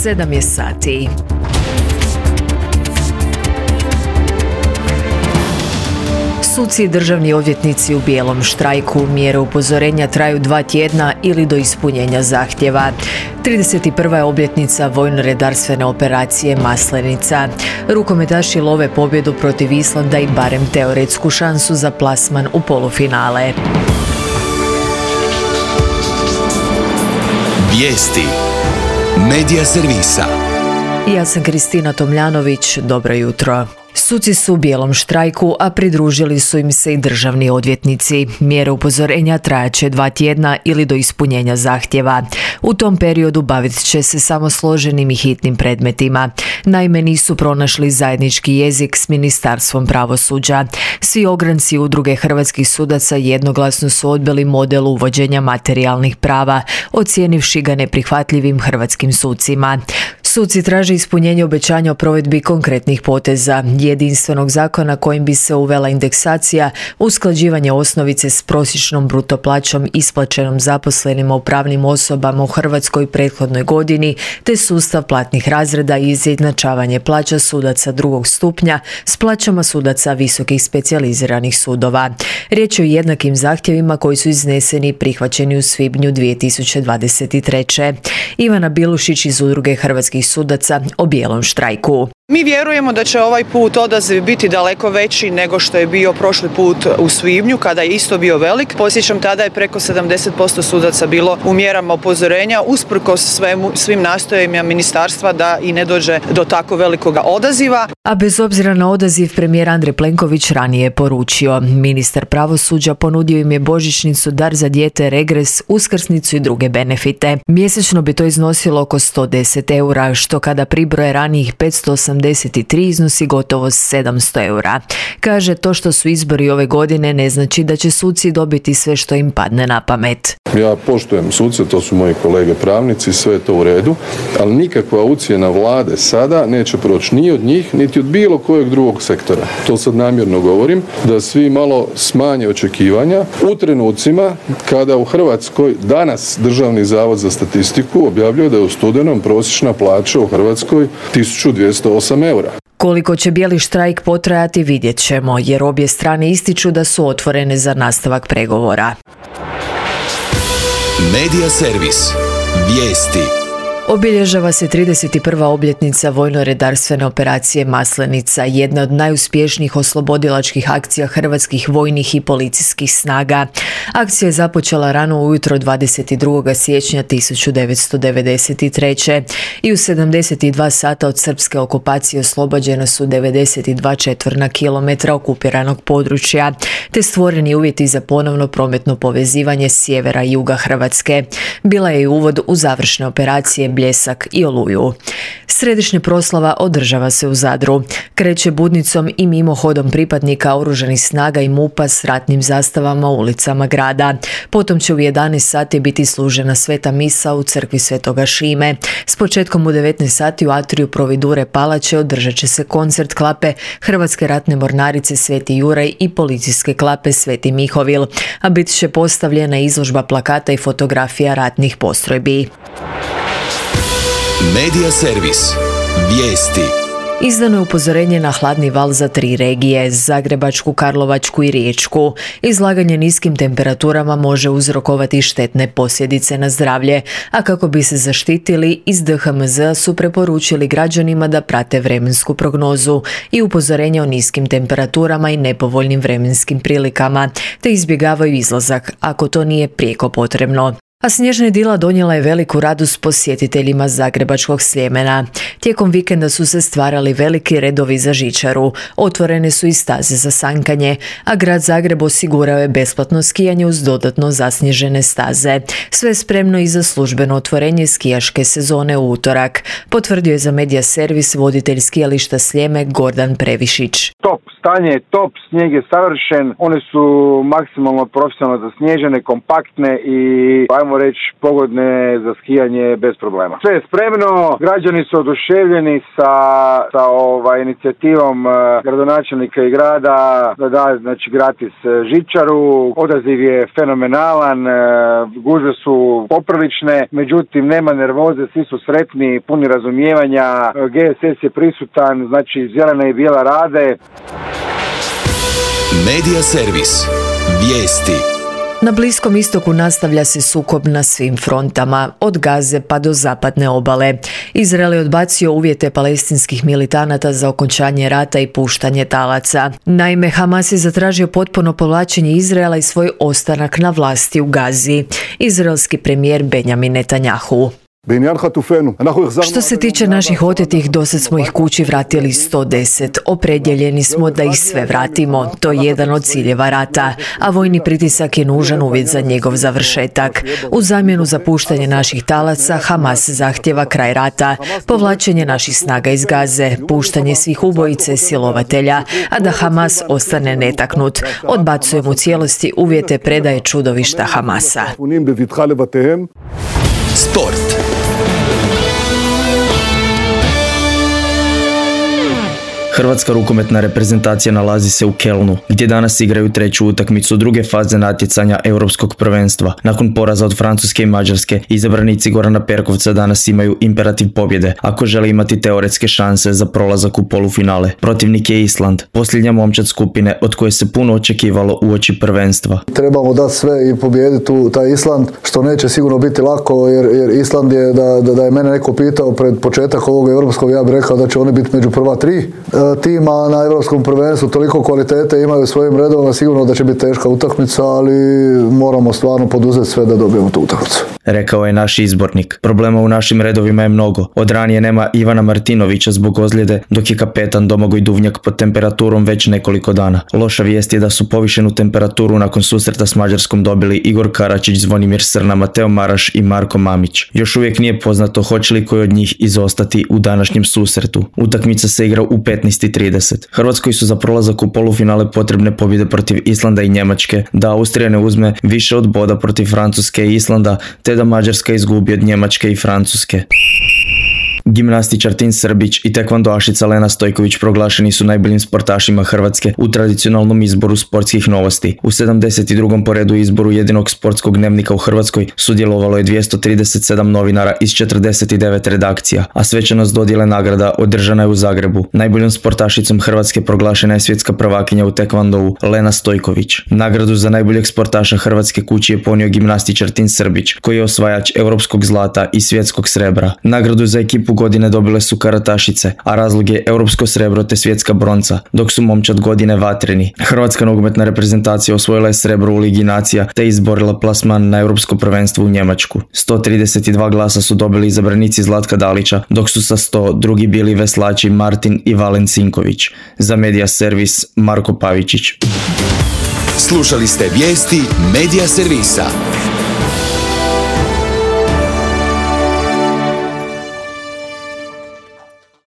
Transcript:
7 je sati. Suci i državni odvjetnici u bijelom štrajku. Mjere upozorenja traju 2 tjedna ili do ispunjenja zahtjeva. 31. je obljetnica vojno-redarstvene operacije Maslenica. Rukometaši love pobjedu protiv Islanda i barem teoretsku šansu za plasman u polufinale. Vijesti Medija servisa. Ja sam Kristina Tomljanović, dobro jutro. Suci su u bijelom štrajku, a pridružili su im se i državni odvjetnici. Mjere upozorenja trajaće 2 tjedna ili do ispunjenja zahtjeva. U tom periodu bavit će se samo složenim i hitnim predmetima. Naime, nisu pronašli zajednički jezik s Ministarstvom pravosuđa. Svi ogranci udruge hrvatskih sudaca jednoglasno su odbili model uvođenja materijalnih prava, ocijenivši ga neprihvatljivim hrvatskim sucima. Suci traže ispunjenje obećanja o provedbi konkretnih poteza, jedinstvenog zakona kojim bi se uvela indeksacija, usklađivanje osnovice s prosječnom bruto plaćom isplaćenom zaposlenima u pravnim osobama u Hrvatskoj prethodnoj godini, te sustav platnih razreda i izjednačavanje plaća sudaca drugog stupnja s plaćama sudaca visokih specijaliziranih sudova. Riječ je o jednakim zahtjevima koji su izneseni i prihvaćeni u svibnju 2023. Ivana Bilušić iz udruge hrvatskih sudaca o bijelom štrajku. Mi vjerujemo da će ovaj put odaziv biti daleko veći nego što je bio prošli put u svibnju, kada je isto bio velik. Podsjećam, tada je preko 70% sudaca bilo u mjerama upozorenja, usprkos svim nastojanjima ministarstva da i ne dođe do tako velikoga odaziva. A bez obzira na odaziv, premijer Andrej Plenković ranije je poručio. Ministar pravosuđa ponudio im je božićnicu, dar za dijete, regres, uskrsnicu i druge benefite. Mjesečno bi to iznosilo oko 110 eura, što kada pribroje ranijih 583 iznosi gotovo 700 eura. Kaže, to što su izbori ove godine ne znači da će suci dobiti sve što im padne na pamet. Ja poštujem suce, to su moji kolege pravnici, sve je to u redu, ali nikakva ucjena vlade sada neće proći ni od njih, niti od bilo kojeg drugog sektora. To sad namjerno govorim, da svi malo smanje očekivanja u trenucima kada u Hrvatskoj danas Državni zavod za statistiku objavljuje da je u studenom prosječna plaća u Hrvatskoj 1208 eura. Koliko će bijeli štrajk potrajati vidjet ćemo, jer obje strane ističu da su otvorene za nastavak pregovora. Medija servis. Vijesti. Obilježava se 31. obljetnica vojno-redarstvene operacije Maslenica, jedna od najuspješnijih oslobodilačkih akcija hrvatskih vojnih i policijskih snaga. Akcija je započela rano ujutro 22. siječnja 1993. i u 72 sata od srpske okupacije oslobođena su 92 četvorna kilometra okupiranog područja, te stvoreni uvjeti za ponovno prometno povezivanje sjevera i juga Hrvatske. Bila je i uvod u završne operacije Bljesak i Oluju. Središnja proslava održava se u Zadru. Kreće budnicom i mimohodom pripadnika oružanih snaga i MUP-a s ratnim zastavama u ulicama grada. Potom će u 11 sati biti služena sveta misa u crkvi Svetoga Šime. S početkom u 19 sati u atriju Providure palače održat će se koncert klape Hrvatske ratne mornarice Sveti Juraj i policijske klape Sveti Mihovil, a bit će postavljena izložba plakata i fotografija ratnih postrojbi. Medija servis. Vijesti. Izdano je upozorenje na hladni val za 3 regije, Zagrebačku, Karlovačku i Riječku. Izlaganje niskim temperaturama može uzrokovati štetne posljedice na zdravlje, a kako bi se zaštitili, iz DHMZ su preporučili građanima da prate vremensku prognozu i upozorenje o niskim temperaturama i nepovoljnim vremenskim prilikama, te izbjegavaju izlazak ako to nije prijeko potrebno. A snježna idila donijela je veliku radost posjetiteljima Zagrebačkog Sljemena. Tijekom vikenda su se stvarali veliki redovi za žičaru, otvorene su i staze za sankanje, a grad Zagreb osigurao je besplatno skijanje uz dodatno zasnježene staze. Sve spremno i za službeno otvorenje skijaške sezone u utorak, potvrdio je za Medija servis voditelj skijališta Sljeme Gordan Previšić. Top stanje je top, snijeg je savršen, one su maksimalno profesionalno zasnježene, kompaktne i, ajmo reći, pogodne za skijanje bez problema. Sve je spremno, građani su oduševljeni sa inicijativom gradonačelnika i grada da da, znači, gratis žičaru. Odaziv je fenomenalan, gužve su poprilične, međutim nema nervoze, svi su sretni, puni razumijevanja, GSS je prisutan, znači zelena i bijela rade. Medija servis. Vijesti. Na Bliskom istoku nastavlja se sukob na svim frontama, od Gaze pa do zapadne obale. Izrael je odbacio uvjete palestinskih militanata za okončanje rata i puštanje talaca. Naime, Hamas je zatražio potpuno povlačenje Izraela i svoj ostanak na vlasti u Gazi. Izraelski premijer Benjamin Netanjahu. Što se tiče naših otetih, dosad smo ih kući vratili 110. Opredjeljeni smo da ih sve vratimo. To je jedan od ciljeva rata, a vojni pritisak je nužan uvjet za njegov završetak. U zamjenu za puštanje naših talaca, Hamas zahtjeva kraj rata, povlačenje naših snaga iz Gaze, puštanje svih ubojice silovatelja, a da Hamas ostane netaknut. Odbacujemo u cijelosti uvjete predaje čudovišta Hamasa. Sport. Hrvatska rukometna reprezentacija nalazi se u Kelnu, gdje danas igraju treću utakmicu druge faze natjecanja Europskog prvenstva. Nakon poraza od Francuske i Mađarske, izabranici Gorana Perkovca danas imaju imperativ pobjede, ako žele imati teoretske šanse za prolazak u polufinale. Protivnik je Island, posljednja momčad skupine od koje se puno očekivalo uoči prvenstva. Trebamo dati sve i pobijediti taj Island, što neće sigurno biti lako, jer Island je, da je mene neko pitao pred početak ovog europskog, ja bih rekao da će oni biti među prva 3 tima na europskom prvenstvu, toliko kvalitete imaju svojim redovima, sigurno da će biti teška utakmica, ali moramo stvarno poduzeti sve da dobijemo tu utakmicu. Rekao je naš izbornik. Problema u našim redovima je mnogo. Od ranije nema Ivana Martinovića zbog ozljede, dok je kapetan Domagoj Duvnjak pod temperaturom već nekoliko dana. Loša vijest je da su povišenu temperaturu nakon susreta s Mađarskom dobili Igor Karačić, Zvonimir Srna, Mateo Maraš i Marko Mamić. Još uvijek nije poznato hoće li koji od njih izostati u današnjem susretu. Utakmica se igra u 15:30. Hrvatskoj su za prolazak u polufinale potrebne pobjede protiv Islanda i Njemačke, da Austrija ne uzme više od boda protiv Francuske i Islanda, te da Mađarska izgubi od Njemačke i Francuske. Gimnastičar Tin Srbić i tekvandoašica Lena Stojković proglašeni su najboljim sportašima Hrvatske u tradicionalnom izboru sportskih novosti. U 72. po redu izboru jedinog sportskog dnevnika u Hrvatskoj sudjelovalo je 237 novinara iz 49 redakcija, a svečanost dodjele nagrada održana je u Zagrebu. Najboljom sportašicom Hrvatske proglašena je svjetska prvakinja u tekvandovu Lena Stojković. Nagradu za najboljeg sportaša Hrvatske kući je ponio gimnastičar Tin Srbić, koji je osvajač europskog zlata i svjetskog srebra. Nagradu za ekipu godine dobile su karatašice, a razlog je europsko srebro te svjetska bronca, dok su momčad godine vatreni. Hrvatska nogometna reprezentacija osvojila je srebro u Ligi nacija te izborila plasman na europsko prvenstvo u Njemačku. 132 glasa su dobili izabranici Zlatka Dalića, dok su sa 100 drugi bili veslači Martin i Valen Sinković. Za Medija servis Marko Pavičić. Slušali ste vijesti Medija servisa.